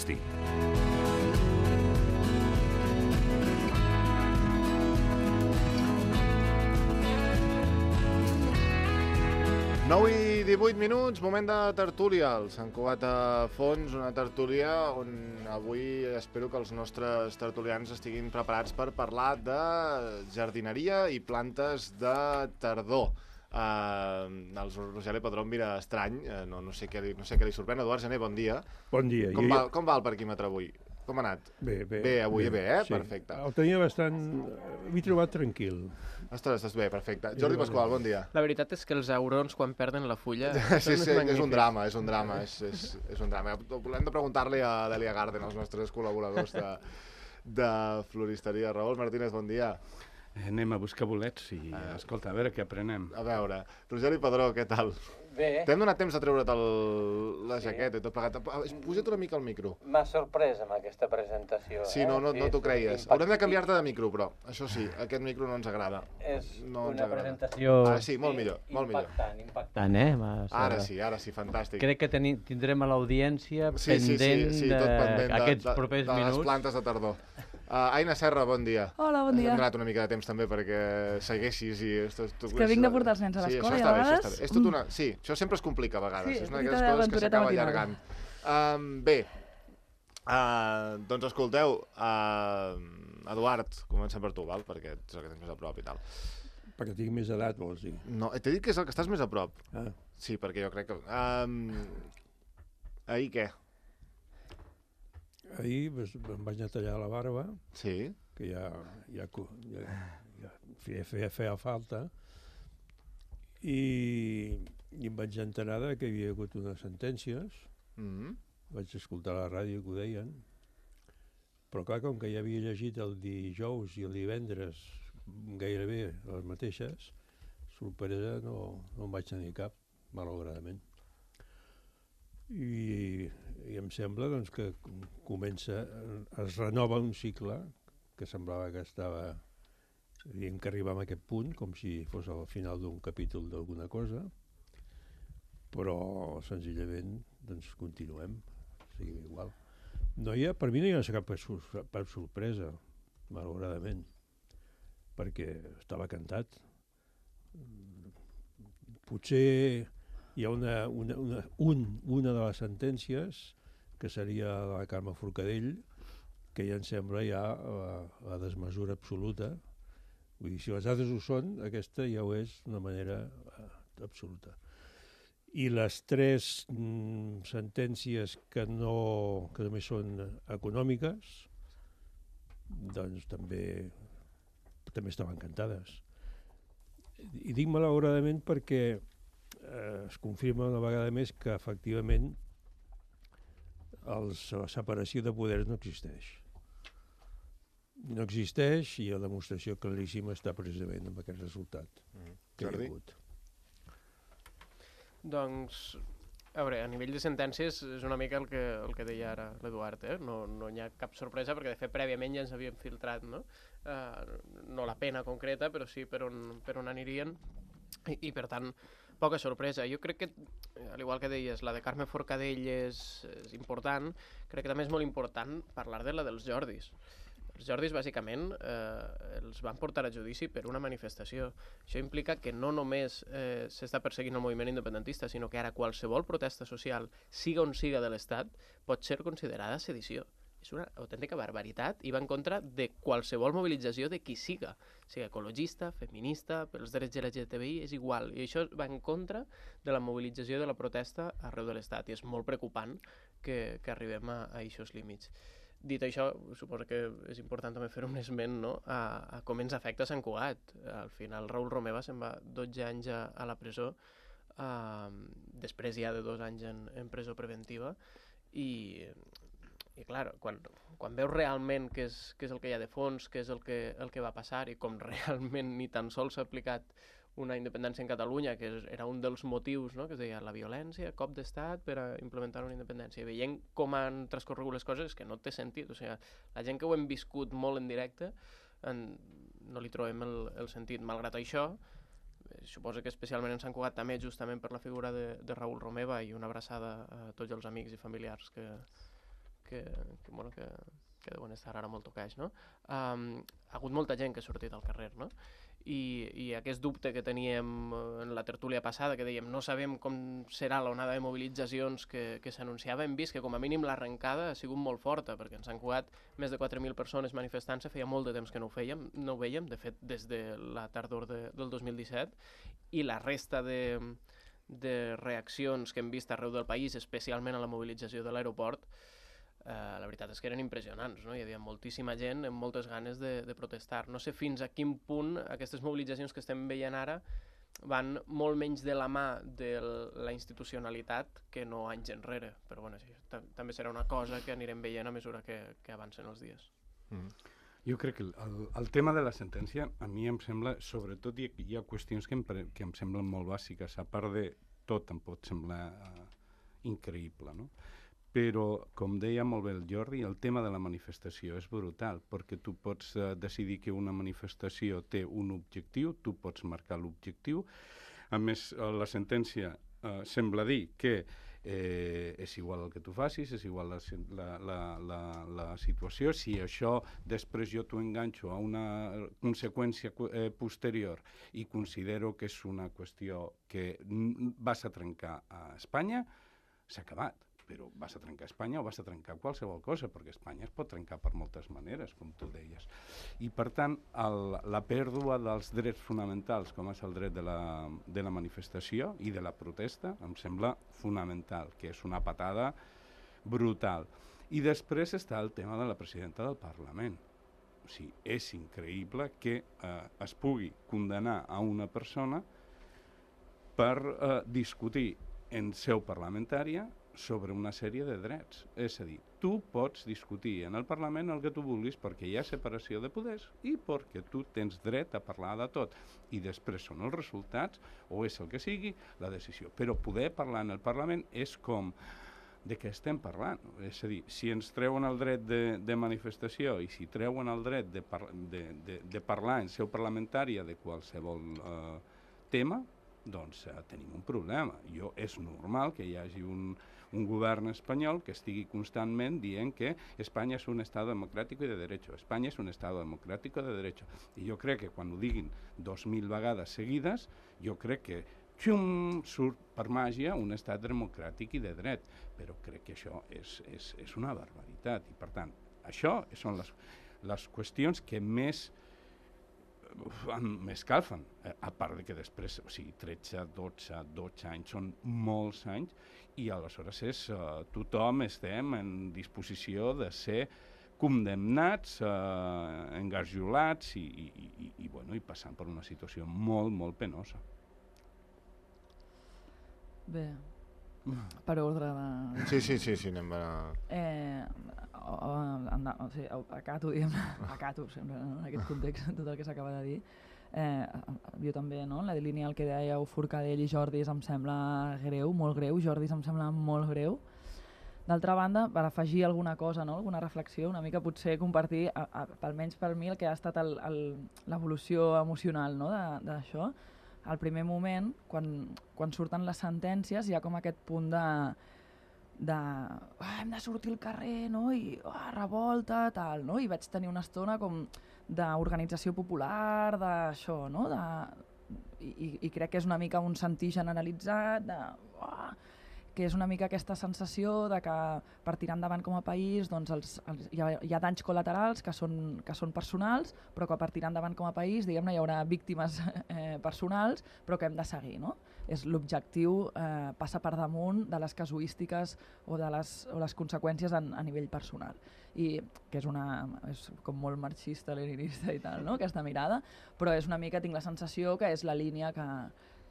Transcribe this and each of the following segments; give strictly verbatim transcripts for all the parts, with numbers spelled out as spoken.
Agustí. nou i divuit minuts, moment de tertúlia al Sant Cugat a Fons, una tertúlia on avui espero que els nostres tertulians estiguin preparats per parlar de jardineria i plantes de tardor. Uh, el Roger Padró em mira estrany, uh, no, no, sé què li, no sé què li sorprèn. Eduard Gené, bon dia. Bon dia. Com, jo, va, com va el parquímetre avui? Com ha anat? Bé, bé. Bé, avui bé, bé eh? Sí. Perfecte. El tenia bastant... M'he trobat tranquil. Estàs, estàs bé, perfecte. Jordi Pasqual, bon dia. La veritat és que els aurons, quan perden la fulla... sí, sí, és un drama, és un drama, és, és, és un drama. Volem de preguntar-li a l'Elia Garden, als nostres col·laboradors de, de floristeria. Raül Martínez, bon dia. Anem a buscar bolets i, uh, escolta, a veure què aprenem. A veure, Rogeri Padró, què tal? Bé. T'hem donat temps de treure't el, la jaqueta i tot plegat. Puja't una mica al micro. M'ha sorprès amb aquesta presentació. Sí, no, no, no t'ho creies. Haurem de canviar-te de micro, però, això sí, aquest micro no ens agrada. És no una presentació... Ah, sí, molt millor, molt millor. Impactant, impactant, eh? Ara sí, ara sí, fantàstic. Crec que teni, tindrem a l'audiència sí, pendent sí, sí, sí, tot pendent d'aquests de, propers de, de minuts. les plantes de tardor. Uh, Aina Serra, bon dia. Hola, bon dia. Hem donat una mica de temps també perquè segueixis i... Esto, tu, és que vinc de portar els nens a l'escola sí, i a vegades... Bé, és tot una... Sí, això sempre es complica a vegades. Sí, és una d'aquelles coses que s'acaba allargant. Um, bé, uh, doncs escolteu, uh, Eduard, comencem per tu, val? Perquè ets el que tens més a prop i tal. Perquè tinc més edat, vols dir? No, t'he dit que és el que estàs més a prop. Ah. Sí, perquè jo crec que... Um, ahir què? Ahir em vaig anar a tallar la barba, sí. que ja, ja, ja, ja feia, feia, feia falta, i, i em vaig enterar que hi havia hagut unes sentències, mm-hmm. vaig escoltar a la ràdio que ho deien, però clar, com que ja havia llegit el dijous i el divendres gairebé les mateixes, sorpresa no, no en vaig tenir cap, malauradament. I, i em sembla doncs, que comença, es renova un cicle que semblava que estava, diguem que arribàvem a aquest punt, com si fos al final d'un capítol d'alguna cosa, però senzillament doncs, continuem, seguim igual. No hi ha, per mi no hi ha cap, cap sorpresa, malauradament, perquè estava cantat. Potser hi ha una, una, una, un, una de les sentències, que seria la Carme Forcadell, que ja em sembla ja la, la desmesura absoluta. Vull dir, si les altres ho són, aquesta ja ho és d'una manera uh, absoluta. I les tres mm, sentències que, no, que només són econòmiques, doncs també, també estaven cantades. I dic malauradament perquè Eh, es confirma una vegada més que efectivament els, la separació de poders no existeix. No existeix i la demostració claríssima està precisament en aquest resultat mm. que hi ha hagut. Doncs, a veure, a nivell de sentències és una mica el que, el que deia ara l'Eduard, eh? No, no hi ha cap sorpresa perquè de fet prèviament ja ens havíem filtrat, no? Uh, no la pena concreta, però sí per on, per on anirien i, i per tant poca sorpresa. Jo crec que, al igual que deies, la de Carme Forcadell és, és important, crec que també és molt important parlar de la dels Jordis. Els Jordis, bàsicament, eh, els van portar a judici per una manifestació. Això implica que no només eh, s'està perseguint el moviment independentista, sinó que ara qualsevol protesta social, siga on siga de l'Estat, pot ser considerada sedició. És una autèntica barbaritat i va en contra de qualsevol mobilització de qui siga, sigui ecologista, feminista, pels drets L G T B I, és igual. I això va en contra de la mobilització de la protesta arreu de l'Estat i és molt preocupant que, que arribem a, a aquests límits. Dit això, suposo que és important també fer un esment, no? a, a com ens afecta Sant Cugat. Al final Raül Romeva se'n va dotze anys a, a la presó, uh, després ja de dos anys en, en presó preventiva i... I clar, quan, quan veus realment què és, què és el que hi ha de fons, què és el que, el que va passar i com realment ni tan sols s'ha aplicat una independència en Catalunya, que era un dels motius, no? Que es deia la violència, cop d'estat per a implementar una independència. I veient com han transcorregut les coses és que no té sentit. O sigui, la gent que ho hem viscut molt en directe en, no li trobem el, el sentit. Malgrat això, eh, suposo que especialment en Sant Cugat també justament per la figura de, de Raül Romeva i una abraçada a tots els amics i familiars que que, que, bueno, que, que deuen estar ara molt tocats, no? Um, ha hagut molta gent que ha sortit al carrer, no? I, i aquest dubte que teníem en la tertúlia passada, que dèiem no sabem com serà l'onada de mobilitzacions que, que s'anunciava, hem vist que com a mínim l'arrencada ha sigut molt forta, perquè en Sant Cugat més de quatre mil persones manifestant-se, feia molt de temps que no ho fèiem, no ho veiem, de fet des de la tardor de, del dos mil disset, i la resta de, de reaccions que hem vist arreu del país, especialment a la mobilització de l'aeroport, Uh, la veritat és que eren impressionants, no? Hi havia moltíssima gent amb moltes ganes de, de protestar. No sé fins a quin punt aquestes mobilitzacions que estem veient ara van molt menys de la mà de la institucionalitat que no anys enrere, però bueno, sí, també serà una cosa que anirem veient a mesura que, que avancen els dies. Mm. Jo crec que el, el tema de la sentència a mi em sembla, sobretot hi, hi ha qüestions que em, que em semblen molt bàsiques, a part de tot em pot semblar uh, increïble, no? Però, com deia molt bé el Jordi, el tema de la manifestació és brutal, perquè tu pots uh, decidir que una manifestació té un objectiu, tu pots marcar l'objectiu. A més, uh, la sentència uh, sembla dir que eh, és igual el que tu facis, és igual la, la, la, la, la situació. Si això després jo t'ho enganxo a una conseqüència eh, posterior i considero que és una qüestió que vas a trencar a Espanya, s'ha acabat. Però vas a trencar Espanya o vas a trencar qualsevol cosa, perquè Espanya es pot trencar per moltes maneres, com tu deies. I, per tant, el, la pèrdua dels drets fonamentals, com és el dret de la, de la manifestació i de la protesta, em sembla fonamental, que és una patada brutal. I després està el tema de la presidenta del Parlament. O sigui, és increïble que eh, es pugui condenar a una persona per eh, discutir en seu parlamentària sobre una sèrie de drets. És a dir, tu pots discutir en el Parlament el que tu vulguis perquè hi ha separació de poders i perquè tu tens dret a parlar de tot. I després són els resultats, o és el que sigui, la decisió. Però poder parlar en el Parlament és com de què estem parlant. És a dir, si ens treuen el dret de, de manifestació i si treuen el dret de, par de, de, de parlar en seu parlamentària de qualsevol eh, tema, doncs eh, tenim un problema. Jo, és normal que hi hagi un, un govern espanyol que estigui constantment dient que Espanya és un estat democràtic i de derecho, Espanya és un estat democràtic i de derecho. I jo crec que quan ho diguin dos mil vegades seguides, jo crec que xum, surt per màgia un estat democràtic i de dret. Però crec que això és, és, és una barbaritat. I per tant, això són les, les qüestions que més m'escalfen, eh, a part de que després, o sigui, tretze, dotze, dotze anys són molts anys i aleshores és, uh, tothom estem en disposició de ser condemnats, uh, engarjolats i, i, i, i, bueno, i passant per una situació molt, molt penosa. Bé, per ordre de... Sí, sí, sí, sí, anem a... Eh, o, o, anda, o sigui, acato, diguem, acato sempre, no? En aquest context, tot el que s'acaba de dir. Eh, jo també, no? La línia el que dèieu Forcadell i Jordis em sembla greu, molt greu, Jordis em sembla molt greu. D'altra banda, per afegir alguna cosa, no? Alguna reflexió, una mica potser compartir, a, a, almenys per mi, el que ha estat l'evolució emocional, no? D'això. Al primer moment, quan, quan surten les sentències, hi ha com aquest punt de... de ah, hem de sortir al carrer, no? I ah, revolta, tal, no? I vaig tenir una estona com d'organització popular, d'això, no? De, i, I crec que és una mica un sentir generalitzat, de, ah, que és una mica aquesta sensació de que per tirar endavant com a país doncs els, els, hi, ha, hi ha danys col·laterals que són, que són personals, però que per tirar endavant com a país, diguem-ne, hi haurà víctimes eh, personals, però que hem de seguir, no? És l'objectiu eh, passa per damunt de les casuístiques o de les, o les conseqüències en, a nivell personal. I que és, una, és com molt marxista, leninista i tal, no? Aquesta mirada, però és una mica, tinc la sensació que és la línia que,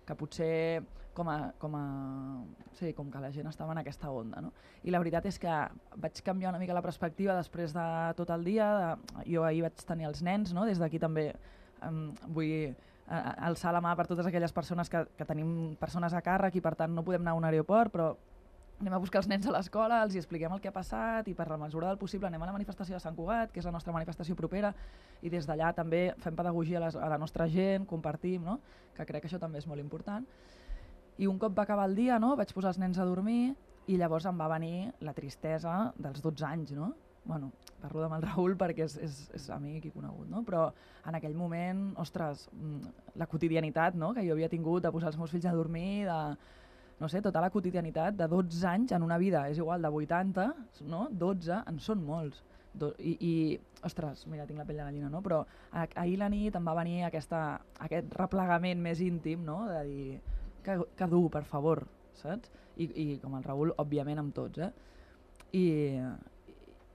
que potser com, a, com, a, sí, com que la gent estava en aquesta onda, no? I la veritat és que vaig canviar una mica la perspectiva després de tot el dia. De, jo ahir vaig tenir els nens, no? Des d'aquí també um, vull uh, alçar la mà per totes aquelles persones que, que tenim persones a càrrec i per tant no podem anar a un aeroport, però anem a buscar els nens a l'escola, els hi expliquem el que ha passat i per la mesura del possible anem a la manifestació de Sant Cugat, que és la nostra manifestació propera, i des d'allà també fem pedagogia a, les, a la nostra gent, compartim, no? Que crec que això també és molt important. I un cop va acabar el dia, no? Vaig posar els nens a dormir, i llavors em va venir la tristesa dels dotze anys, no? Bueno, parlo amb el Raül perquè és, és, és amic i conegut, no? Però en aquell moment, ostres, la quotidianitat, no?, que jo havia tingut de posar els meus fills a dormir, de, no sé, tota la quotidianitat de dotze anys en una vida, és igual, de vuitanta, no? dotze en són molts. Do, i, i, ostres, mira, tinc la pell de gallina, no? Però ah, ahir la nit em va venir aquesta, aquest replegament més íntim, no?, de dir, que, que dur, per favor, saps? I, i com el Raül, òbviament, amb tots, eh? I,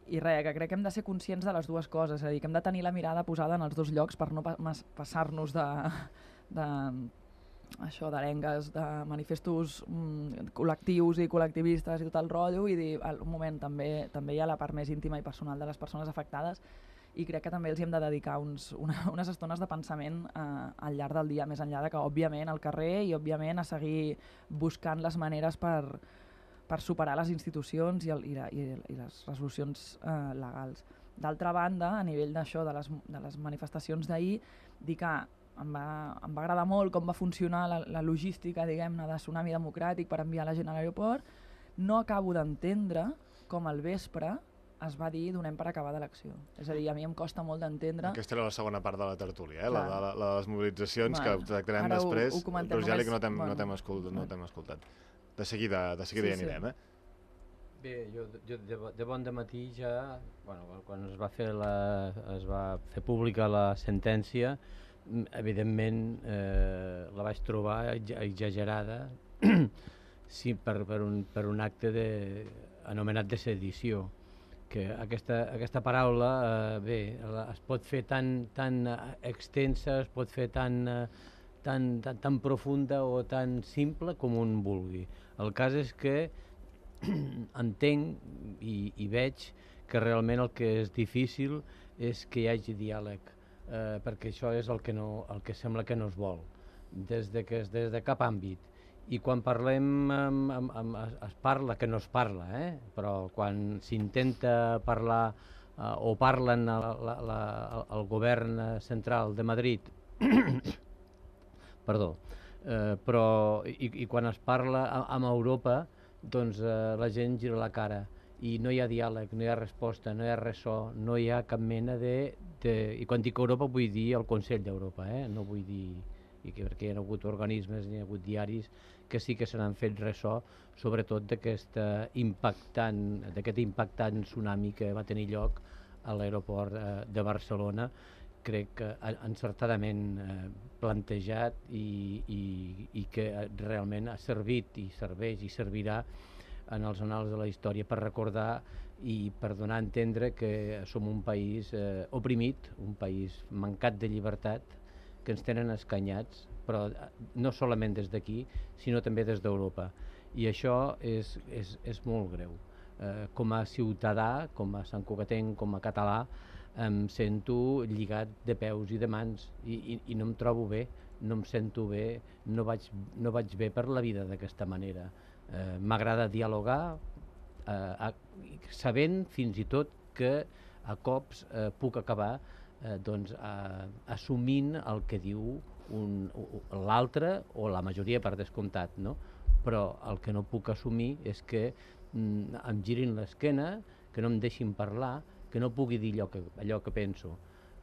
i res, que crec que hem de ser conscients de les dues coses, és a dir, que hem de tenir la mirada posada en els dos llocs per no pa passar-nos de, de, això, d'arengues, de manifestos mm, col·lectius i col·lectivistes i tot el rotllo, i dir, al un moment, també, també hi ha la part més íntima i personal de les persones afectades, i crec que també els hi hem de dedicar uns, una, unes estones de pensament eh, al llarg del dia, més enllà de que, òbviament, al carrer i, òbviament, a seguir buscant les maneres per, per superar les institucions i, el, i, la, i, i les resolucions eh, legals. D'altra banda, a nivell d'això, de, les, de les manifestacions d'ahir, dir que em va, em va agradar molt com va funcionar la, la logística, diguem-ne, de Tsunami Democràtic per enviar la gent a l'aeroport. No acabo d'entendre com al vespre es va dir donem per acabada l'acció. És a dir, a mi em costa molt d'entendre... Aquesta era la segona part de la tertúlia, eh? la, la, la de les mobilitzacions, bueno, que tractarem després. Ho, ho però ja només... que no t'hem bueno, no escoltat, no bueno. escoltat. De seguida, de seguida sí, ja anirem, sí. eh? Bé, jo, jo de, de bon dematí ja, bueno, quan es va fer la, es va fer pública la sentència, evidentment eh, la vaig trobar exagerada sí, per, per, un, per un acte de, anomenat de sedició, que aquesta, aquesta paraula eh, bé, es pot fer tan, tan extensa, es pot fer tan, tan, tan, tan profunda o tan simple com un vulgui. El cas és que entenc i, i veig que realment el que és difícil és que hi hagi diàleg, eh, perquè això és el que, no, el que sembla que no es vol, des de, que, des de cap àmbit. I quan parlem, amb, amb, amb, es parla, que no es parla, eh? Però quan s'intenta parlar eh, o parlen la, la, la, el govern central de Madrid, perdó, eh, però i, i quan es parla amb Europa, doncs eh, la gent gira la cara i no hi ha diàleg, no hi ha resposta, no hi ha ressò, no hi ha cap mena de... de i quan dic Europa vull dir el Consell d'Europa, eh? No vull dir... I que perquè hi ha hagut organismes, hi ha hagut diaris que sí que se n'han fet ressò, sobretot d'aquest impactant, d'aquest impactant tsunami que va tenir lloc a l'aeroport eh, de Barcelona, crec que encertadament eh, plantejat i, i, i que realment ha servit i serveix i servirà en els annals de la història per recordar i per donar a entendre que som un país eh, oprimit, un país mancat de llibertat, que ens tenen escanyats, però no solament des d'aquí, sinó també des d'Europa. I això és, és, és molt greu. Eh, com a ciutadà, com a santcugatenc, com a català, em sento lligat de peus i de mans i, i, i no em trobo bé, no em sento bé, no vaig, no vaig bé per la vida d'aquesta manera. Eh, M'agrada dialogar, eh, a, sabent fins i tot que a cops eh, puc acabar eh, doncs, a, assumint el que diu l'altre o la majoria per descomptat, no? Però el que no puc assumir és que mm, em girin l'esquena, que no em deixin parlar, que no pugui dir allò que, allò que penso.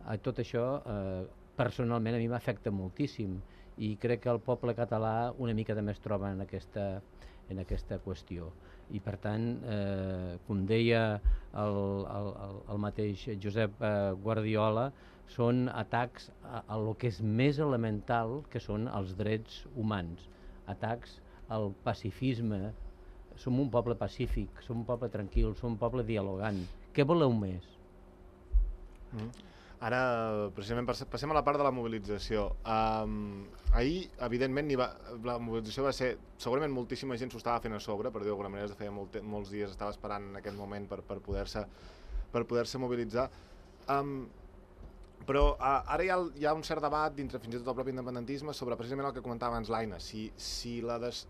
Eh, tot això eh, personalment a mi m'afecta moltíssim i crec que el poble català una mica també es troba en aquesta, en aquesta qüestió. I per tant, eh, com deia el, el, el mateix Josep eh, Guardiola, són atacs a, a lo que és més elemental, que són els drets humans, atacs al pacifisme. Som un poble pacífic, som un poble tranquil, som un poble dialogant. Què voleu més? Mm. Ara, precisament, passem a la part de la mobilització. Um, ahir, evidentment, va, la mobilització va ser... Segurament moltíssima gent s'ho estava fent a sobre, per dir-ho d'alguna manera, de feia molt, molts dies estava esperant en aquest moment per, per poder-se per poder-se mobilitzar. Um, però uh, ara hi ha, hi ha un cert debat dintre fins i tot el propi independentisme sobre precisament el que comentava abans l'Aina, si, si la des,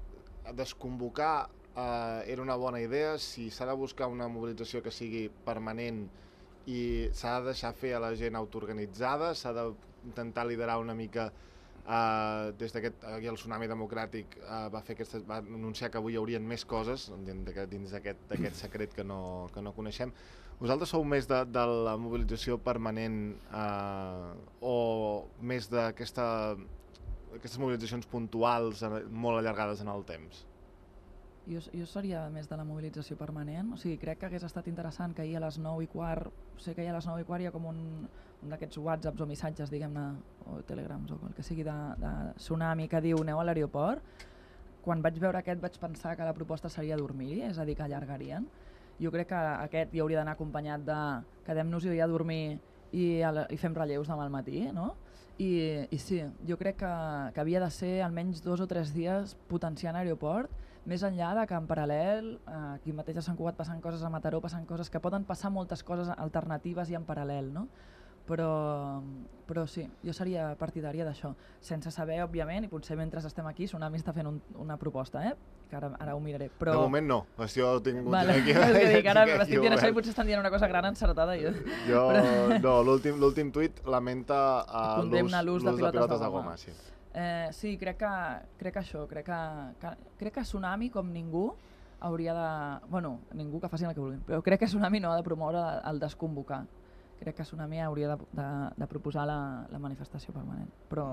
desconvocar uh, era una bona idea, si s'ha de buscar una mobilització que sigui permanent i s'ha de deixar fer a la gent autoorganitzada, s'ha d'intentar liderar una mica Uh, des d'aquest, aquí el Tsunami Democràtic uh, va, fer aquesta, va anunciar que avui hi haurien més coses dins d'aquest secret que no, que no coneixem. Vosaltres sou més de, de la mobilització permanent uh, o més d'aquestes mobilitzacions puntuals molt allargades en el temps? Jo, jo seria més de la mobilització permanent, o sigui, crec que hagués estat interessant que ahir a les nou i quart, sé que ahir a les nou i quart hi ha com un, un d'aquests whatsapps o missatges, diguem-ne, o telegrams o el que sigui de, de Tsunami que diu aneu a l'aeroport. Quan vaig veure aquest vaig pensar que la proposta seria dormir-hi, és a dir, que allargarien. Jo crec que aquest hi hauria d'anar acompanyat de quedem-nos-hi a dormir i, a, i fem relleus demà al matí, no? I, i sí, jo crec que, que havia de ser almenys dos o tres dies potenciant aeroport, més enllà de que en paral·lel, eh, aquí mateix a Sant Cugat passen coses, a Mataró passen coses, que poden passar moltes coses alternatives i en paral·lel, no? Però, però sí, jo seria partidària d'això, sense saber, òbviament, i potser mentre estem aquí, Tsunami està fent un, una proposta, eh? que ara, ara ho miraré. Però... De moment no, jo ho tinc vale. aquí. És que dic, ara m'estic dient això i potser estan dient una cosa gran encertada. Jo, jo però... no, l'últim tuit lamenta uh, l'ús de, de pilotes de, de goma. Sí. Eh, sí, crec que, crec que això, crec que, que, crec que Tsunami, com ningú, hauria de... Bueno, ningú que facin el que vulguin, però crec que Tsunami no ha de promoure el desconvocar. Crec que Tsunami hauria de, de, de proposar la, la manifestació permanent, però...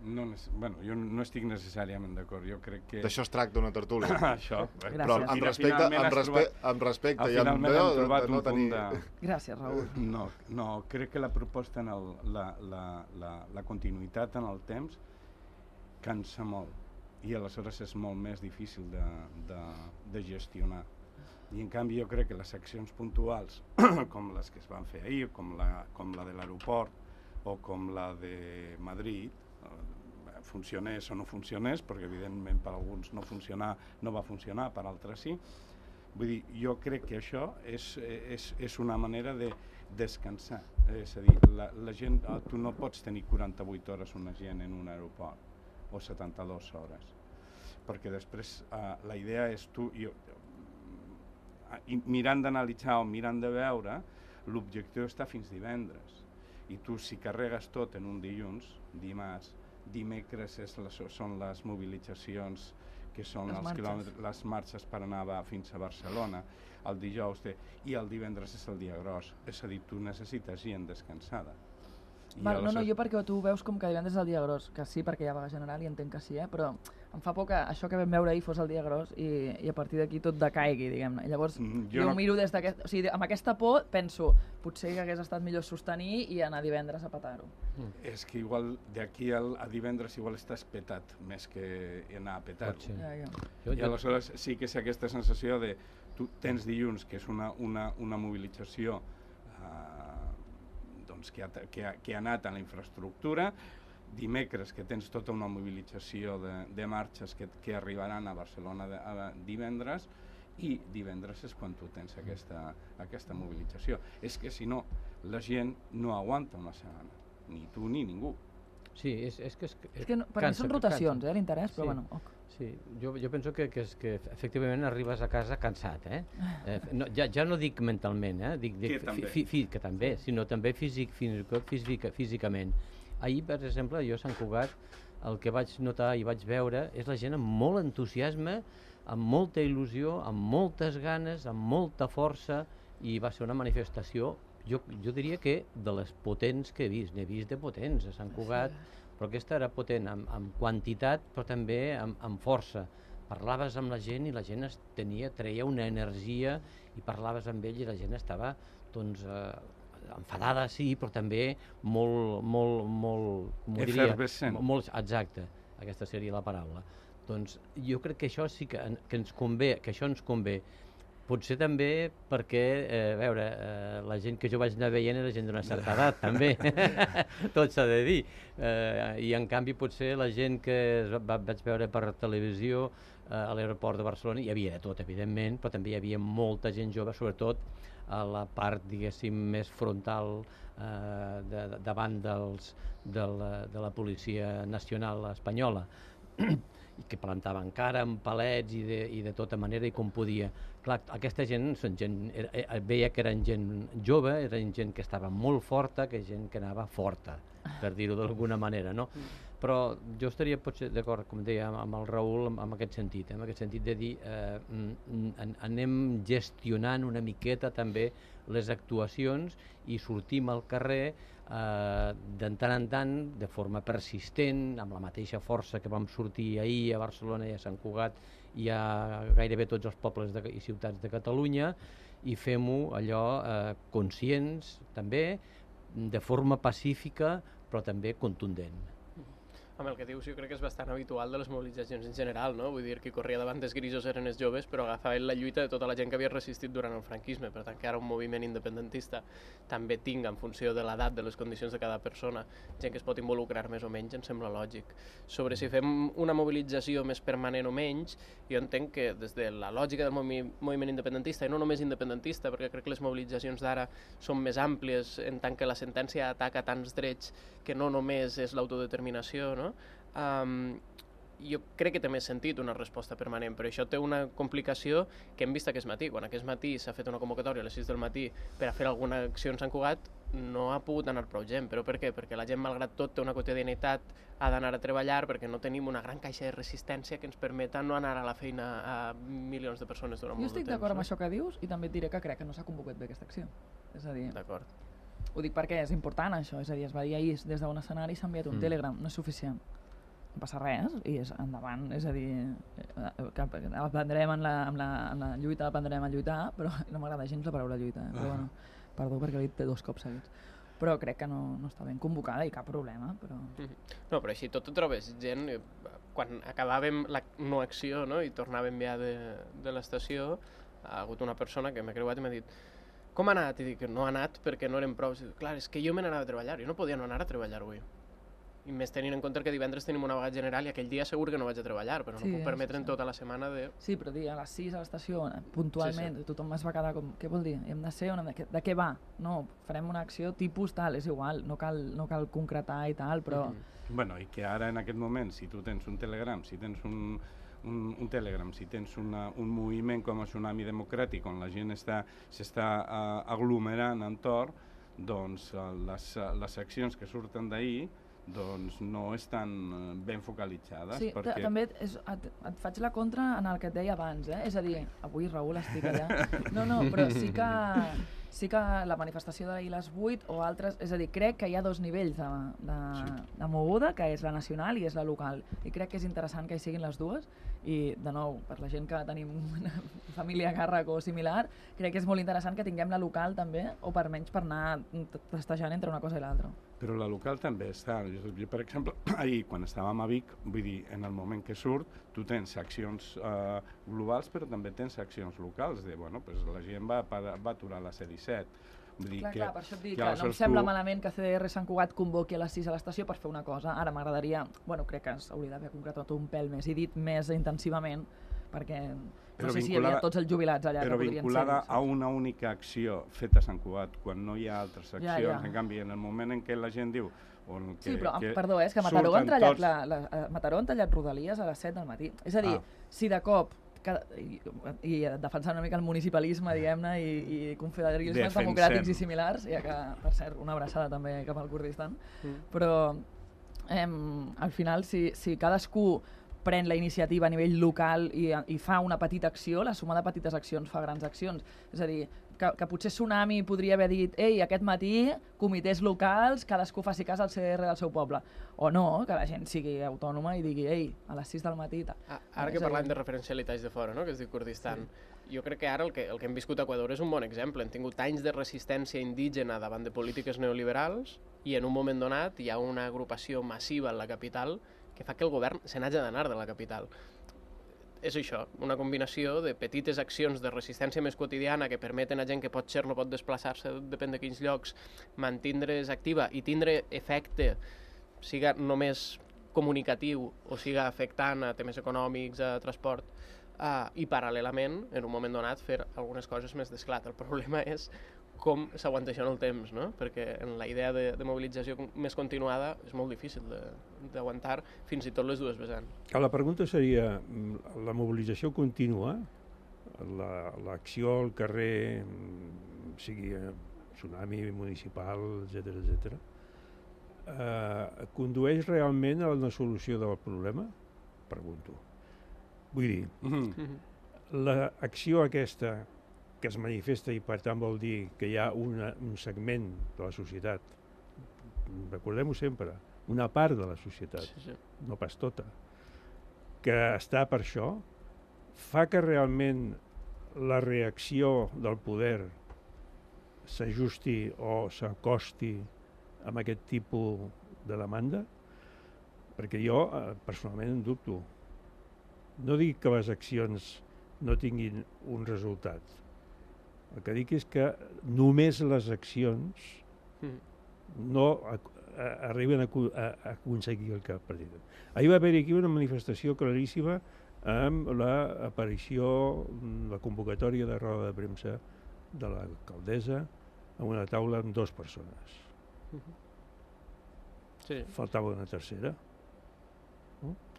No, bueno, jo no estic necessàriament d'acord, jo crec que... D'això es tracta una tertúlia. Això. Però amb respecte, amb respecte, amb respecte i amb veu de, de no tenir... De... Gràcies, Raül. No, no, crec que la proposta, en el, la, la, la, la continuïtat en el temps, cansa molt i aleshores és molt més difícil de, de, de gestionar. I en canvi jo crec que les accions puntuals, com les que es van fer ahir, com la, com la de l'aeroport o com la de Madrid, eh, funcionés o no funcionés, perquè evidentment per alguns no, funcionar, no va funcionar, per altres sí. Vull dir, jo crec que això és, és, és una manera de descansar. És a dir, la, la gent, tu no pots tenir quaranta-vuit hores una gent en un aeroport, o setanta-dues hores, perquè després uh, la idea és tu, jo, uh, mirant d'analitzar o mirant de veure, l'objectiu està fins divendres, i tu si carregues tot en un dilluns, dimarts, dimecres és la, són les mobilitzacions que són les els quilòmetres, les marxes per anar a, fins a Barcelona, el dijous té, i el divendres és el dia gros, és a dir, tu necessites gent descansada. Val, no, no, jo perquè tu veus com que divendres és el dia gros, que sí, perquè hi ha vaga general i entenc que sí, eh? Però em fa por que això que vam veure ahir fos el dia gros i, i a partir d'aquí tot decaigui, diguem-ne. Llavors mm, jo, jo no... miro des d'aquest... O sigui, amb aquesta por penso, potser que hagués estat millor sostenir i anar divendres a petar-ho. Mm. És que igual d'aquí a divendres igual estàs petat més que anar a petar-ho. Ja, ja. I aleshores sí que és aquesta sensació de tu tens dilluns, que és una, una, una mobilització Que ha, que, ha, que ha anat a la infraestructura, dimecres que tens tota una mobilització de, de marxes que, que arribaran a Barcelona de, a divendres, i divendres és quan tu tens aquesta, aquesta mobilització. És que si no, la gent no aguanta una setmana, ni tu ni ningú. Sí, és, és que... És, és que no, per cansa, mi són rotacions, eh, l'interès, però sí. bueno... Ok. Sí, jo, jo penso que, que, és, que efectivament arribes a casa cansat, eh? eh no, ja, ja no dic mentalment, eh? Dic, dic, que també, fi, fi, que també sí. Sinó també físic, fins i tot físic, físicament. Ahir, per exemple, jo a Sant Cugat, el que vaig notar i vaig veure és la gent amb molt entusiasme, amb molta il·lusió, amb moltes ganes, amb molta força, i va ser una manifestació, jo, jo diria que de les potents que he vist, n'he vist de potents a Sant Cugat, sí. Però aquesta era potent amb, amb quantitat, però també amb, amb força. Parlaves amb la gent i la gent es tenia, treia una energia i parlaves amb ell i la gent estava doncs, eh, enfadada, sí, però també molt, molt, molt, com ho diria, molt, exacte, aquesta seria la paraula. Doncs jo crec que això sí que, que ens convé, que això ens convé. Potser també perquè, eh, a veure, eh, la gent que jo vaig anar veient era gent d'una certa edat, també, tot s'ha de dir. Eh, I en canvi potser la gent que va, vaig veure per televisió eh, a l'aeroport de Barcelona, hi havia de tot, evidentment, però també hi havia molta gent jove, sobretot a la part, diguéssim, més frontal eh, de, de, davant dels, de, la, de la Policia Nacional Espanyola, i que plantaven cara amb palets i de, i de tota manera i com podia. Clar, aquesta gent, són gent era, veia que eren gent jove, eren gent que estava molt forta, que gent que anava forta, per dir-ho d'alguna manera, no? però jo estaria potser d'acord, com deia, amb el Raül, en, en aquest sentit, eh? en aquest sentit de dir eh, anem gestionant una miqueta també les actuacions i sortim al carrer eh, de tant en tant, de forma persistent, amb la mateixa força que vam sortir ahir a Barcelona i a Sant Cugat i a gairebé tots els pobles de, i ciutats de Catalunya, i fem-ho allò eh, conscients també, de forma pacífica però també contundent. Amb el que dius, jo crec que és bastant habitual de les mobilitzacions en general, no? Vull dir, qui corria davant dels grisos eren els joves, però agafaven la lluita de tota la gent que havia resistit durant el franquisme, per tant que ara un moviment independentista també tinga, en funció de l'edat, de les condicions de cada persona, gent que es pot involucrar més o menys, em sembla lògic. Sobre si fem una mobilització més permanent o menys, jo entenc que des de la lògica del movi moviment independentista, i no només independentista, perquè crec que les mobilitzacions d'ara són més àmplies, en tant que la sentència ataca tants drets que no només és l'autodeterminació, no? Um, jo crec que té més sentit una resposta permanent, però això té una complicació que hem vist aquest matí. Quan aquest matí s'ha fet una convocatòria a les sis del matí per a fer alguna acció en Sant Cugat, no ha pogut anar prou gent. Però per què? Perquè la gent, malgrat tot, té una quotidianitat, ha d'anar a treballar, perquè no tenim una gran caixa de resistència que ens permeta no anar a la feina a milions de persones durant molt de temps. Jo estic d'acord amb això que dius i també et diré que crec que no s'ha convocat bé aquesta acció. És a dir, d'acord. Ho dic perquè és important això, és a dir, es va dir ahir des d'un escenari s'ha enviat un mm. Telegram, no és suficient. No passa res i és endavant, és a dir, que aprendrem en la, en la, en la lluita, aprendrem a lluitar, però no m'agrada gens la paraula lluita, eh? Però bueno, perdó perquè l'he dit dos cops seguits. Però crec que no, no està ben convocada i cap problema. Però... No, però així tot ho trobes gent, quan acabàvem la no acció, no? I tornàvem ja de, de l'estació, ha hagut una persona que m'ha creuat i m'ha dit com ha anat? I dic que no ha anat perquè no eren prou. Dic, clar, és que jo me n'anava a treballar, jo no podia no anar a treballar avui. I més tenint en compte que divendres tenim una vaga general i aquell dia segur que no vaig a treballar, però no sí, puc permetre'n sí, sí. tota la setmana de... Sí, però dir, a les sis a l'estació, puntualment, sí, sí. tothom es va quedar com... Què vol dir? Hem de ser on hem de... De què va? No, farem una acció tipus tal, és igual, no cal, no cal concretar i tal, però... Mm-hmm. Bueno, i que ara en aquest moment, si tu tens un Telegram, si tens un... Un, un Telegram, si tens una, un moviment com el Tsunami Democràtic on la gent s'està uh, aglomerant entorn, doncs uh, les, uh, les accions que surten d'ahir doncs no estan ben focalitzades. Sí, perquè... també és, et, et faig la contra en el que et deia abans, eh? És a dir, avui Raül estic allà, no, no, però sí que, sí que la manifestació d'ahir a les vuit o altres, és a dir, crec que hi ha dos nivells de, de, sí. de moguda, que és la nacional i és la local, i crec que és interessant que hi siguin les dues, i de nou, per la gent que tenim una família a càrrec o similar, crec que és molt interessant que tinguem la local també, o per menys per anar testejant entre una cosa i l'altra. Però la local també està. Jo, per exemple, ahir, quan estàvem a Vic, vull dir, en el moment que surt, tu tens accions eh, globals, però també tens accions locals, de, bueno, pues la gent va, va aturar la C disset. Vull dir clar, que, clar, per això et dic que, que no em sembla tu... malament que C D R Sant Cugat convoqui a les sis a l'estació per fer una cosa. Ara m'agradaria, bueno, crec que s'hauria d'haver concretat un pèl més i dit més intensivament, perquè no però sé si hi havia tots els jubilats allà però que podrien ser. Però vinculada a una única acció feta a Sant Cugat, quan no hi ha altres accions, ja, ja. En canvi, en el moment en què la gent diu... On que, sí, però, que perdó, és que Mataró han tallat, tots... la, la, la, Mataró han tallat Rodalies a les set del matí. És a dir, ah. si de cop... Cada, i, i defensant una mica el municipalisme, diguem-ne, i, i confederalismes democràtics i similars, ja que, per cert, una abraçada també cap al Kurdistan, mm. però eh, al final, si, si cadascú pren la iniciativa a nivell local i, i fa una petita acció, la suma de petites accions fa grans accions. És a dir, que, que potser Tsunami podria haver dit ei, aquest matí, comitès locals, cadascú faci cas al C D R del seu poble. O no, que la gent sigui autònoma i digui ei, a les sis del matí... Ah, ara que parlem de referencialitats de fora, no? Que es diu Kurdistan, sí. Jo crec que ara el que, el que hem viscut a Equador és un bon exemple. Hem tingut anys de resistència indígena davant de polítiques neoliberals i en un moment donat hi ha una agrupació massiva en la capital que fa que el govern se n'hagi d'anar de la capital. És això, una combinació de petites accions de resistència més quotidiana que permeten a gent que pot ser no pot desplaçar-se, depèn de quins llocs, mantindre's activa i tindre efecte, siga només comunicatiu o siga afectant a temes econòmics, a transport, uh, i paral·lelament, en un moment donat, fer algunes coses més d'esclat. El problema és com s'aguanta això en el temps, no? Perquè en la idea de, de mobilització més continuada és molt difícil d'aguantar fins i tot les dues vessants. La pregunta seria, la mobilització continua, l'acció al carrer, sigui tsunami municipal, etcètera, etcètera, eh, condueix realment a una solució del problema? Pregunto. Vull dir, Mm. l'acció aquesta que es manifesta i per tant vol dir que hi ha una, un segment de la societat, recordem-ho sempre, una part de la societat, Sí, sí. no pas tota, que està per això, fa que realment la reacció del poder s'ajusti o s'acosti amb aquest tipus de demanda? Perquè jo eh, personalment en dubto. No dic que les accions no tinguin un resultat. El que dic és que només les accions Mm. no a, a, arriben a, a, a aconseguir el que pretenen. Ahir va haver aquí una manifestació claríssima amb l'aparició, la convocatòria de roda de premsa de l'alcaldessa a una taula amb dues persones. Sí, Faltava una tercera.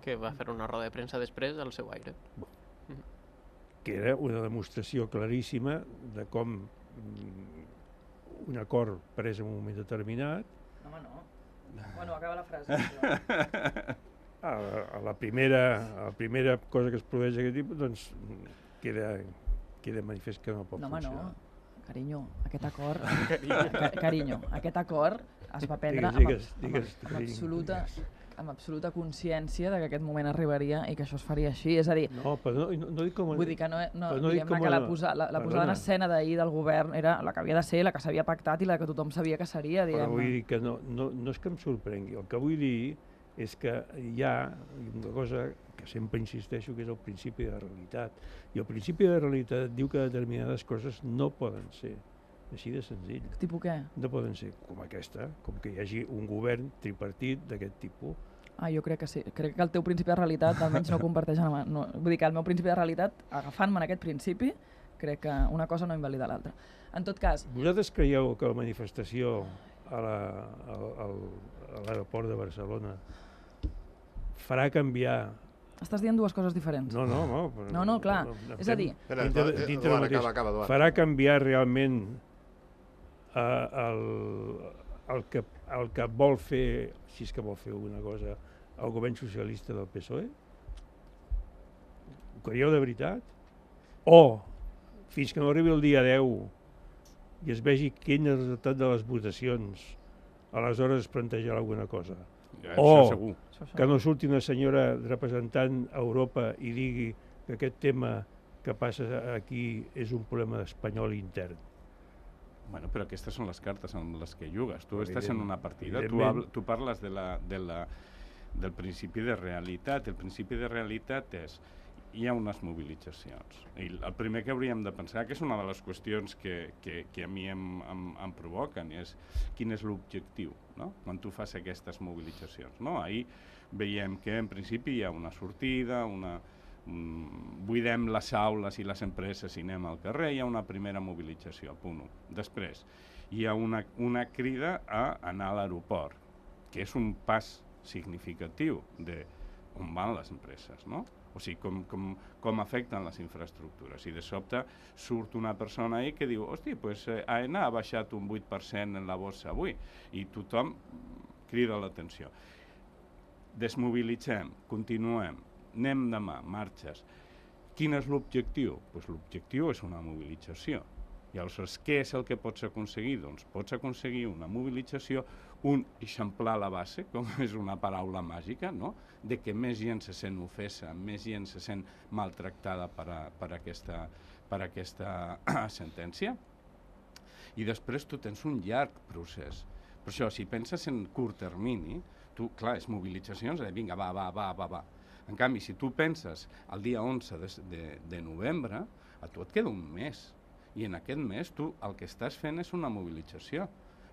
que va fer una roda de premsa després al seu aire. Que era una demostració claríssima de com mm, un acord pres en un moment determinat, No, home, no. Bueno, acaba la frase. Però... a la, a la, primera, a la primera cosa que es produeix d'aquest tipus, doncs queda, queda manifest que no pot No, home, funcionar. no. Carinyo, aquest acord... Ca carinyo, aquest acord es va prendre Digues, digues, amb, digues, amb, amb, carinyo, absoluta, digues. amb absoluta consciència de que aquest moment arribaria i que això es faria així. És a dir, No, però no, no, no dic com... vull dir que no, no, però no dic diguem-ne com que la, a- posa, la, la posada en perdona. escena d'ahir del govern era la que havia de ser, la que s'havia pactat i la que tothom sabia que seria, Però vull diguem-ne. dir que no, no, no és que em sorprengui. El que vull dir és que hi ha una cosa que sempre insisteixo, que és el principi de realitat. I el principi de realitat diu que determinades coses no poden ser. Així de senzill. Tipus què? No poden ser com aquesta, com que hi hagi un govern tripartit d'aquest tipus. Ah, jo crec que sí. Crec que el teu principi de realitat almenys no comparteix amb... No, vull dir que el meu principi de realitat, agafant-me en aquest principi, crec que una cosa no invalida l'altra. En tot cas, Vosaltres creieu que la manifestació a la- al- al- a l'aeroport de Barcelona farà canviar... estàs dient dues coses diferents. No, no, no. però- No, no, clar. És a dir, Espera, dintre, Eduard, dintre Eduard, mateix, acaba, acaba, Eduard. farà canviar realment eh, el, el, que, el que vol fer, si és que vol fer alguna cosa, el govern socialista del P S O E? Ho creieu de veritat? O, fins que no arribi el dia deu i es vegi quin és el resultat de les votacions, aleshores es plantejarà alguna cosa. Ja, Oh. això segur. això, això. Que no surti una senyora representant a Europa i digui que aquest tema que passa aquí és un problema espanyol intern. Bueno, però aquestes són les cartes amb les que jugues. Tu Evident- estàs en una partida, tu, evidentment. habl, tu parles de la, de la, del principi de realitat. El principi de realitat és hi ha unes mobilitzacions. I el primer que hauríem de pensar, que és una de les qüestions que, que, que a mi em, em, em provoquen, és quin és l'objectiu, no? Quan tu fas aquestes mobilitzacions. No? Ahir veiem que en principi hi ha una sortida, una, mm, buidem les aules i les empreses i anem al carrer, hi ha una primera mobilització, punt u. Després, hi ha una, una crida a anar a l'aeroport, que és un pas significatiu de on van les empreses, no? O sigui, com, com, com afecten les infraestructures. I de sobte surt una persona ahí que diu, hosti, pues eh, A E N A ha baixat un vuit per cent en la borsa avui, i tothom crida l'atenció. Desmobilitzem, continuem, anem demà, marxes. Quin és l'objectiu? Pues l'objectiu és una mobilització. I aleshores, què és el que pots aconseguir? Doncs pots aconseguir una mobilització, un eixamplar la base, com és una paraula màgica, no? De que més gent se sent ofesa, més gent se sent maltractada per, a, per, aquesta, per aquesta sentència. I després tu tens un llarg procés. Per això, si penses en curt termini, tu, clar, és mobilitzacions, de vinga, va, va, va, va, va. En canvi, si tu penses el dia onze de, de, de novembre, a tu et queda un mes. I en aquest mes tu el que estàs fent és una mobilització.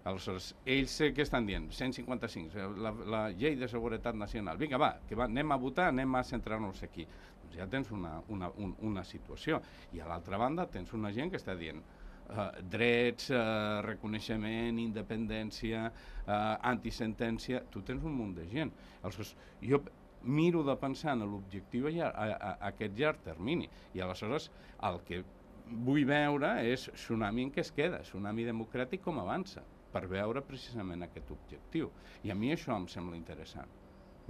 Aleshores, ells eh, què estan dient? cent cinquanta-cinc, la, la llei de seguretat nacional. Vinga, va, que va, anem a votar, anem a centrar-nos aquí. Doncs ja tens una, una, un, una situació. I a l'altra banda tens una gent que està dient eh, drets, eh, reconeixement, independència, eh, antisentència. Tu tens un munt de gent. Aleshores, jo miro de pensar en l'objectiu a, a, a, a aquest llarg termini. I aleshores el que vull veure és tsunami en què es queda, tsunami democràtic com avança. per veure precisament aquest objectiu. I a mi això em sembla interessant.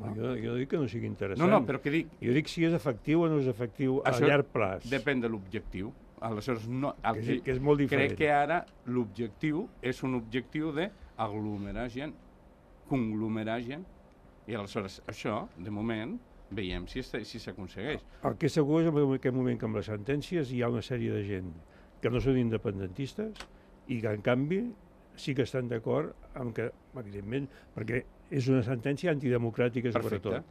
No? Jo, jo dic que no sigui interessant. No, no, però què dic? Jo dic si és efectiu o no és efectiu a Això llarg plaç. Depèn de l'objectiu. Aleshores, no, el que, és, que és molt diferent. Crec que ara l'objectiu és un objectiu d'aglomerar gent, conglomerar gent, i aleshores això, de moment, veiem si s'aconsegueix. Si el que és segur és en aquest moment que amb les sentències hi ha una sèrie de gent que no són independentistes i que en canvi sí que estan d'acord amb que, evidentment, perquè és una sentència antidemocràtica sobretot.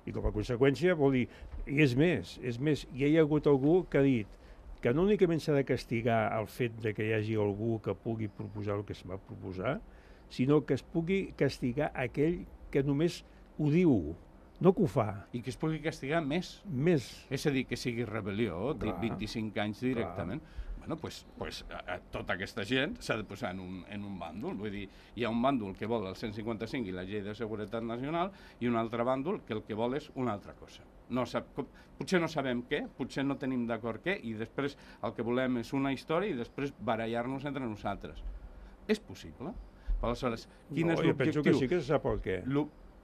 I com a conseqüència vol dir, i és més, és més, ja hi ha hagut algú que ha dit que no únicament s'ha de castigar el fet de que hi hagi algú que pugui proposar el que es va proposar, sinó que es pugui castigar aquell que només ho diu, no que ho fa. I que es pugui castigar més. Més. És a dir, que sigui rebel·lió, clar, vint-i-cinc anys directament. Clar. Bueno, pues, pues, a, a tota aquesta gent s'ha de posar en un, en un bàndol. Vull dir, hi ha un bàndol que vol el cent cinquanta-cinc i la llei de seguretat nacional i un altre bàndol que el que vol és una altra cosa. No sap, com, potser no sabem què, potser no tenim d'acord què, i després el que volem és una història i després barallar-nos entre nosaltres. És possible? Però aleshores, quin no, és l'objectiu? Jo penso que sí que se sap el què.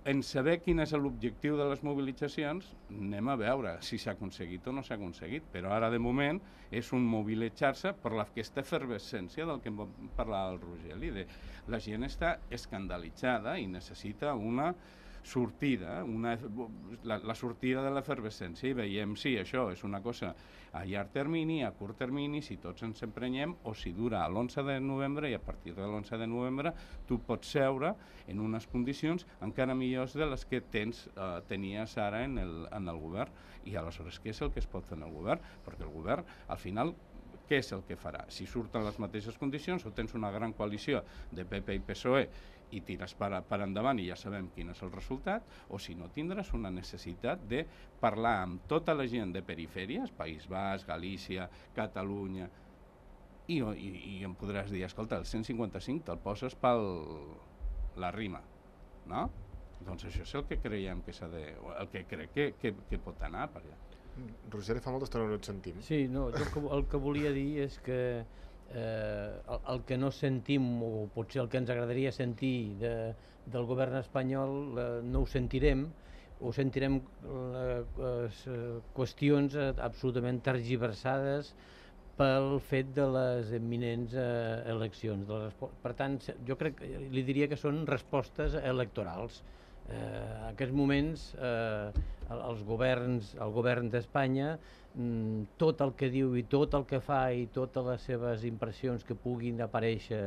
En saber quin és l'objectiu de les mobilitzacions, anem a veure si s'ha aconseguit o no s'ha aconseguit, però ara de moment és un mobilitzar-se per aquesta efervescència del que em parlava el Rogeli, de la gent està escandalitzada i necessita una sortida, una, la, la sortida de l'efervescència, i veiem si això és una cosa a llarg termini, a curt termini, si tots ens emprenyem, o si dura a l'onze de novembre, i a partir de l'onze de novembre tu pots seure en unes condicions encara millors de les que tens, eh, tenies ara en el, en el govern. I aleshores què és el que es pot fer en el govern? Perquè el govern, al final, què és el que farà? Si surten les mateixes condicions o tens una gran coalició de P P i P S O E i tires per, per endavant i ja sabem quin és el resultat, o si no tindràs una necessitat de parlar amb tota la gent de perifèries, País Basc, Galícia, Catalunya, i, i, i em podràs dir, escolta, el cent cinquanta-cinc te'l poses pel la rima, no? Doncs això és el que creiem que s'ha de... el que crec que, que, que pot anar per allà. Roger, fa molta estona no et sentim. Sí, no, jo el que, el que volia dir és que eh, el, el que no sentim, o potser el que ens agradaria sentir de, del govern espanyol, eh, no ho sentirem, o sentirem eh, eh, qüestions eh, absolutament tergiversades pel fet de les imminents eh, eleccions. De les, per tant, jo crec, li diria que són respostes electorals. Eh, en aquests moments eh, els governs, el govern d'Espanya, mm, tot el que diu i tot el que fa i totes les seves impressions que puguin aparèixer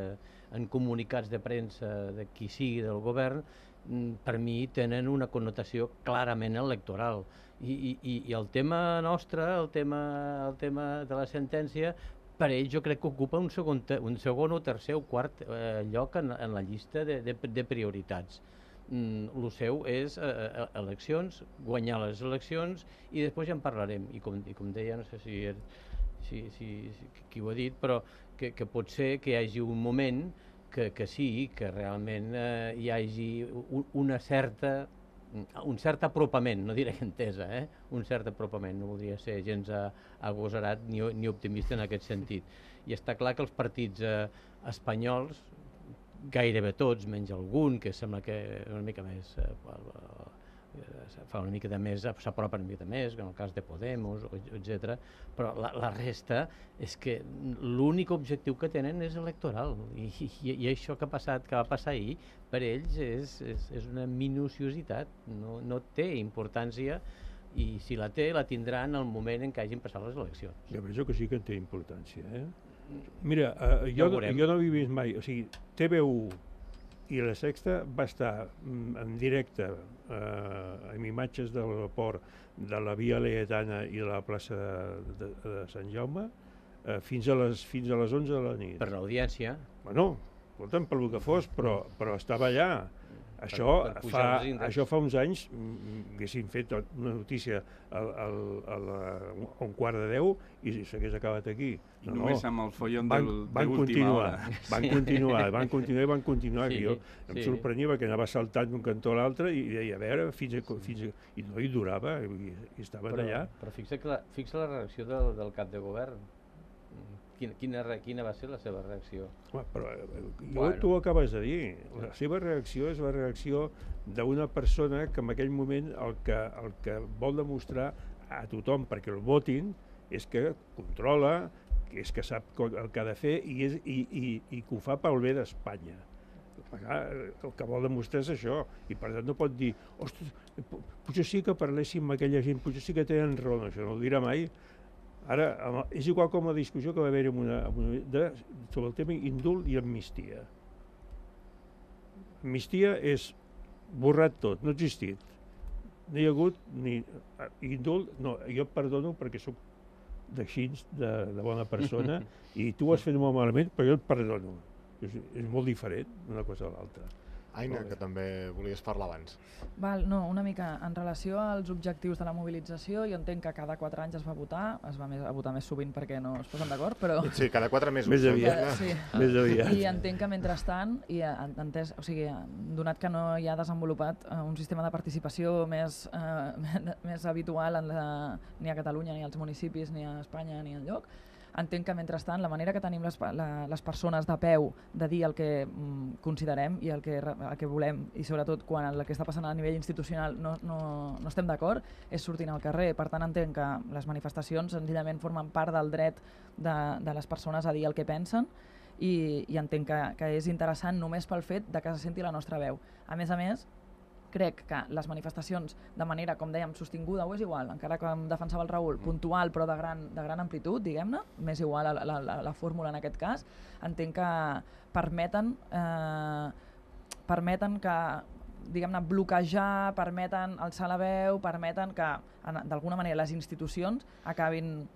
en comunicats de premsa de qui sigui del govern, mm, per mi tenen una connotació clarament electoral. I, i, i el tema nostre, el tema, el tema de la sentència, per ells jo crec que ocupa un segon, un segon o tercer o quart eh, lloc en, en la llista de, de, de prioritats. Mm, el seu és eh, eleccions, guanyar les eleccions i després ja en parlarem. I com, i com deia, no sé si, si, si, si qui ho ha dit, però que, que pot ser que hi hagi un moment que, que sí, que realment eh, hi hagi un, una certa, un cert apropament, no diré entesa, eh? un cert apropament, no voldria ser gens agosarat ni, ni optimista en aquest sentit. I està clar que els partits eh, espanyols, gairebé tots, menys algun, que sembla que una mica més eh, fa una mica de més, s'apropa una mica més, en el cas de Podemos, etcètera. Però la, la resta és que l'únic objectiu que tenen és electoral, i, i, i això que ha passat, que va passar ahir, per ells és, és, és una minuciositat, no, no té importància, i si la té, la tindrà en el moment en què hagin passat les eleccions. Jo penso que sí que té importància, eh? Mira, uh, jo, no, jo no he vist mai, o sigui, T V u i la Sexta va estar mm, en directe uh, amb imatges de l'aeroport, de la Via Laietana i de la plaça de, de, de Sant Jaume uh, fins, a les, fins a les onze de la nit. Per l'audiència. Bueno, escolta'm, per lo que fos, però, però estava allà. Això, per, per fa, això fa uns anys haguessin fet una notícia a, a, a, la, a un quart de deu i s'hagués acabat aquí. I no, només no. Amb el follon van, del, van de última hora. Van continuar, van continuar i van continuar. Sí, jo em sí. sorprenia perquè anava saltant d'un cantó a l'altre i deia, a veure, fins a, fins a, i no hi durava, i, i estaven però, allà. Però fixa, que la, fixa la reacció del, del cap de govern. Quina, quina, re- quina va ser la seva reacció? Home, però eh, jo, Bueno. tu ho acabes de dir. La seva reacció és la reacció d'una persona que en aquell moment el que, el que vol demostrar a tothom perquè el votin és que controla, que és que sap co- el que ha de fer i, és, i, i, i que ho fa pel bé d'Espanya. El que vol demostrar és això, i per tant no pot dir, ostres, po- potser sí que parléssim amb aquella gent, potser sí que tenen raó, no, això no ho dirà mai. Ara, amb- és igual com la discussió que va haver-hi amb una, amb una, de, sobre el tema indult i amnistia. Amnistia és borrat tot, no ha existit. No hi ha hagut ni eh, indult, no, jo et perdono perquè sóc d'així, de, de bona persona, i tu ho has fet molt malament, però jo et perdono. És, és molt diferent una cosa a l'altra. Aina, que també volies parlar abans. Val, no, una mica en relació als objectius de la mobilització, jo entenc que cada quatre anys es va votar, es va més, a votar més sovint perquè no es posen d'acord, però... Sí, cada quatre mesos. Més aviat. Eh, sí. Més aviat. I entenc que mentrestant, i eh, entès, o sigui, donat que no hi ha desenvolupat eh, un sistema de participació més, eh, més habitual en la, ni a Catalunya, ni als municipis, ni a Espanya, ni enlloc, entenc que mentrestant la manera que tenim les, la, les persones de peu de dir el que mm, considerem i el que, el que volem, i sobretot quan el que està passant a nivell institucional no, no, no estem d'acord, és sortir al carrer. Per tant, entenc que les manifestacions senzillament formen part del dret de, de les persones a dir el que pensen, i, i entenc que, que és interessant només pel fet de que se senti la nostra veu. A més a més, crec que les manifestacions de manera, com dèiem, sostinguda, o és igual, encara que em defensava el Raül, puntual però de gran, de gran amplitud, diguem-ne, m'és igual la, la, la, la fórmula en aquest cas, entenc que permeten, eh, permeten que, diguem-ne, bloquejar, permeten alçar la veu, permeten que, d'alguna manera, les institucions acabin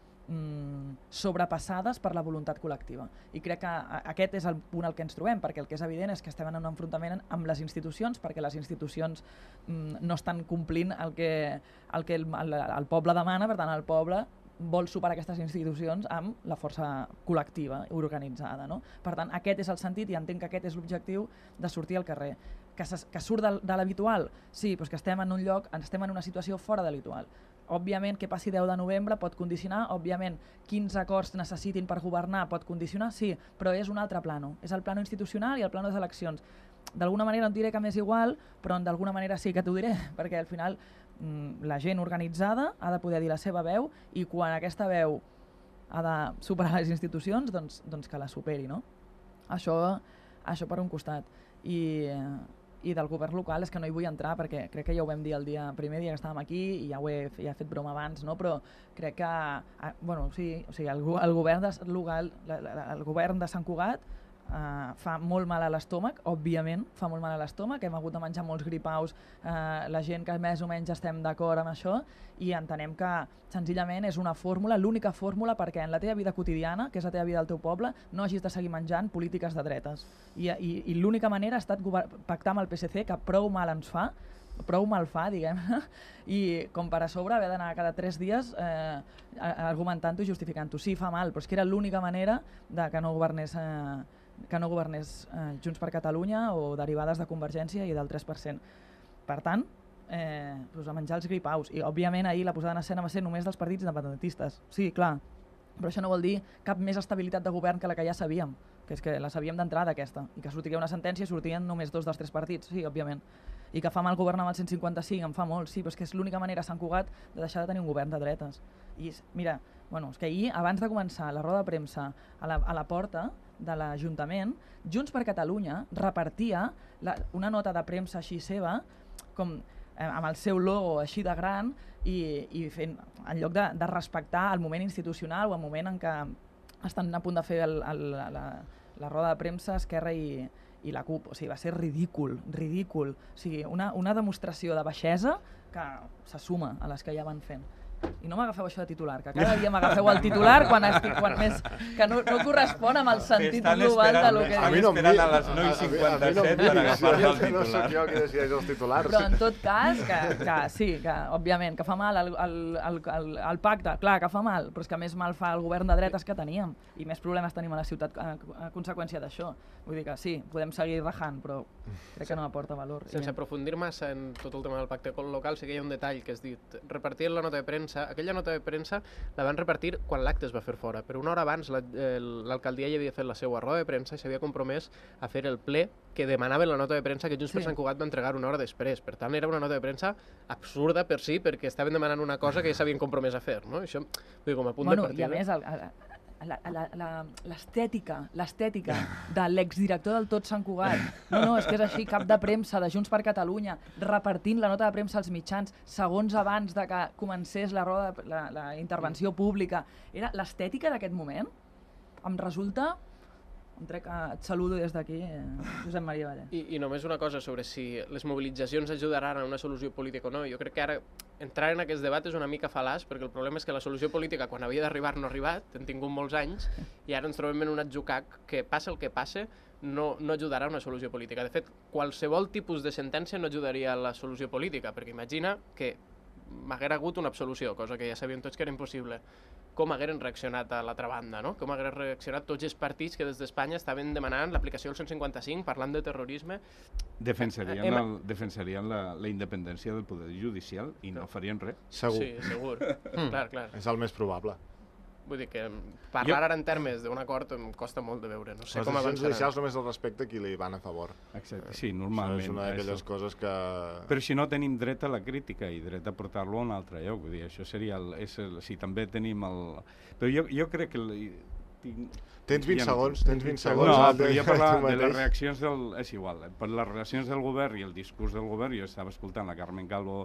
sobrepassades per la voluntat col·lectiva. I crec que aquest és el punt al que ens trobem, perquè el que és evident és que estem en un enfrontament amb les institucions, perquè les institucions no estan complint el que el, que el, el, el poble demana, per tant el poble vol superar aquestes institucions amb la força col·lectiva organitzada. No? Per tant, aquest és el sentit i entenc que aquest és l'objectiu de sortir al carrer. Que, que surt de, de l'habitual? Sí, però és que estem en un lloc, estem en una situació fora de l'habitual. Òbviament, que passi deu de novembre pot condicionar, òbviament, quins acords necessitin per governar pot condicionar, sí, però és un altre plano. És el plano institucional i el plano de les eleccions. D'alguna manera no et diré que m'és igual, però d'alguna manera sí que t'ho diré, perquè al final la gent organitzada ha de poder dir la seva veu i quan aquesta veu ha de superar les institucions, doncs, doncs que la superi, no? Això, això per un costat. I... i del govern local és que no hi vull entrar perquè crec que ja ho vam dir el dia, primer dia que estàvem aquí i ja ho he, ja he fet broma abans, no? Però crec que bueno, sí, o sigui, el, el, govern de, local, el govern de Sant Cugat Uh, fa molt mal a l'estómac, òbviament fa molt mal a l'estómac, hem hagut de menjar molts gripaus, uh, la gent que més o menys estem d'acord amb això i entenem que senzillament és una fórmula, l'única fórmula perquè en la teva vida quotidiana, que és la teva vida al teu poble, no hagis de seguir menjant polítiques de dretes. I, i, i l'única manera ha estat pactar amb el P S C, que prou mal ens fa, prou mal fa, diguem-ne, i com per a sobre haver d'anar cada tres dies eh, argumentant-ho i justificant-ho. Sí, fa mal, però és que era l'única manera de que no governés... Eh, que no governés eh, Junts per Catalunya o derivades de Convergència i del tres per cent. Per tant, eh, pues a menjar els gripaus. I, òbviament, ahir la posada en escena va ser només dels partits independentistes. Sí, clar, però això no vol dir cap més estabilitat de govern que la que ja sabíem, que és que la sabíem d'entrada aquesta, i que sortiria una sentència i sortien només dos dels tres partits, sí, òbviament. I que fa mal governar amb el cent cinquanta-cinc, em fa molt, sí, però és que és l'única manera a Sant Cugat de deixar de tenir un govern de dretes. I mira, bueno, és que ahir, abans de començar la roda de premsa a la, a la porta de l'Ajuntament, Junts per Catalunya repartia la, una nota de premsa així seva, com eh, amb el seu logo així de gran, i, i fent, en lloc de, de respectar el moment institucional o el moment en què estan a punt de fer el, el, la, la roda de premsa Esquerra i, i la CUP. O sigui, va ser ridícul, ridícul. O sigui, una, una demostració de baixesa que se suma a les que ja van fent. I no m'agafeu això de titular, que cada dia m'agafeu el titular quan estic quan més, que no, no correspon amb el sentit global de lo que a mi no em esperant a les nou i cinquanta-set per agafar-me el titular. No sóc jo qui decideix els titulars. Però en tot cas, que, que sí, que òbviament, que fa mal el, el, el, el, el pacte, clar que fa mal, però és que més mal fa el govern de dretes que teníem i més problemes tenim a la ciutat a, a conseqüència d'això. Vull dir que sí, podem seguir rajant, però crec que no aporta valor. Sense aprofundir massa en tot el tema del pacte local, sí que hi ha un detall que has dit. Repartien la nota de premsa premsa, aquella nota de premsa la van repartir quan l'acte es va fer fora, però una hora abans l'alcaldia ja havia fet la seva roda de premsa i s'havia compromès a fer el ple que demanaven la nota de premsa que Junts per Sant Cugat va entregar una hora després. Per tant, era una nota de premsa absurda per si, perquè estaven demanant una cosa que ja s'havien compromès a fer, no? Això, vull dir, com a punt bueno, de partida... I a més, el, l'estètica, l'estètica de l'exdirector del Tot Sant Cugat, no, no, és que és així, cap de premsa de Junts per Catalunya, repartint la nota de premsa als mitjans, segons abans de que comencés la, roda, la, la intervenció pública. Era l'estètica d'aquest moment, em resulta... Em trec, et saludo des d'aquí, eh, Josep Maria Valle. I, I només una cosa sobre si les mobilitzacions ajudaran a una solució política o no. Jo crec que ara entrar en aquest debat és una mica fal·laç, perquè el problema és que la solució política, quan havia d'arribar, no ha arribat, hem tingut molts anys, i ara ens trobem en un atzucac que, passa el que passe, no, no ajudarà a una solució política. De fet, qualsevol tipus de sentència no ajudaria a la solució política, perquè imagina que m'haguera hagut una absolució, cosa que ja sabíem tots que era impossible. Com hagueren reaccionat a l'altra banda, no? Com hagueren reaccionat tots els partits que des d'Espanya estaven demanant l'aplicació del cent cinquanta cinc, parlant de terrorisme. Defensarien, Hem... el, defensarien la, la independència del poder judicial i no farien res. Segur. Sí, segur. Mm. Clar, clar. És el més probable. Vull dir que parlar jo... ara en termes d'un acord em costa molt de veure. No sé les com decisions avançaran. judicials només el respecte a qui li van a favor. Exacte, sí, normalment. Això és una d'aquelles coses que... Però si no tenim dret a la crítica i dret a portar-lo a un altre lloc, vull dir, això seria el... És el si també tenim el... Però jo, jo crec que... El, tinc... Tens vint ja segons, no, tens vint segons. No, ah, però jo per la, de les mateix. reaccions del... És igual, eh? Per les reaccions del govern i el discurs del govern, jo estava escoltant la Carmen Calvo,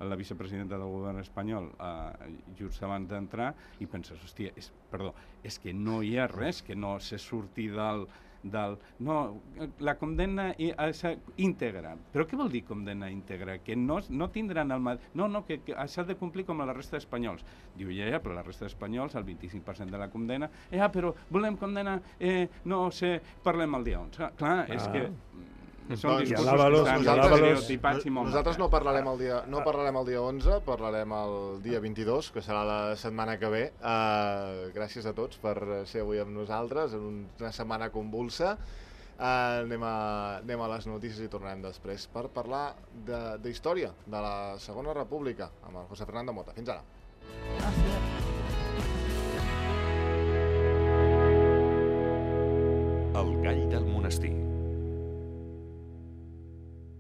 la vicepresidenta del govern espanyol, eh, just abans d'entrar, i penses, hòstia, és, perdó, és que no hi ha res que no se surti del... del no, la condemna íntegra. Però què vol dir condemna íntegra? Que no, no tindran el... No, no, que, que s'ha de complir com a la resta d'espanyols. Diu, ja, ja, però la resta d'espanyols, el vint-i-cinc per cent de la condemna, ja, però volem condemnar, eh, no sé, parlem el dia onze. Clar, és ah. que... Són Doncs, discursos alàvalos, que estan nosaltres, estereotipats i molt nosaltres no marcats. parlarem el dia no parlarem el dia onze, parlarem el dia vint-i-dos, que serà la setmana que ve. Uh, gràcies a tots per ser avui amb nosaltres en una setmana convulsa. Uh, anem, a, anem a les notícies i tornarem després per parlar d'història de, de la Segona República amb el José Fernando Mota. Fins ara. El gall del monestir.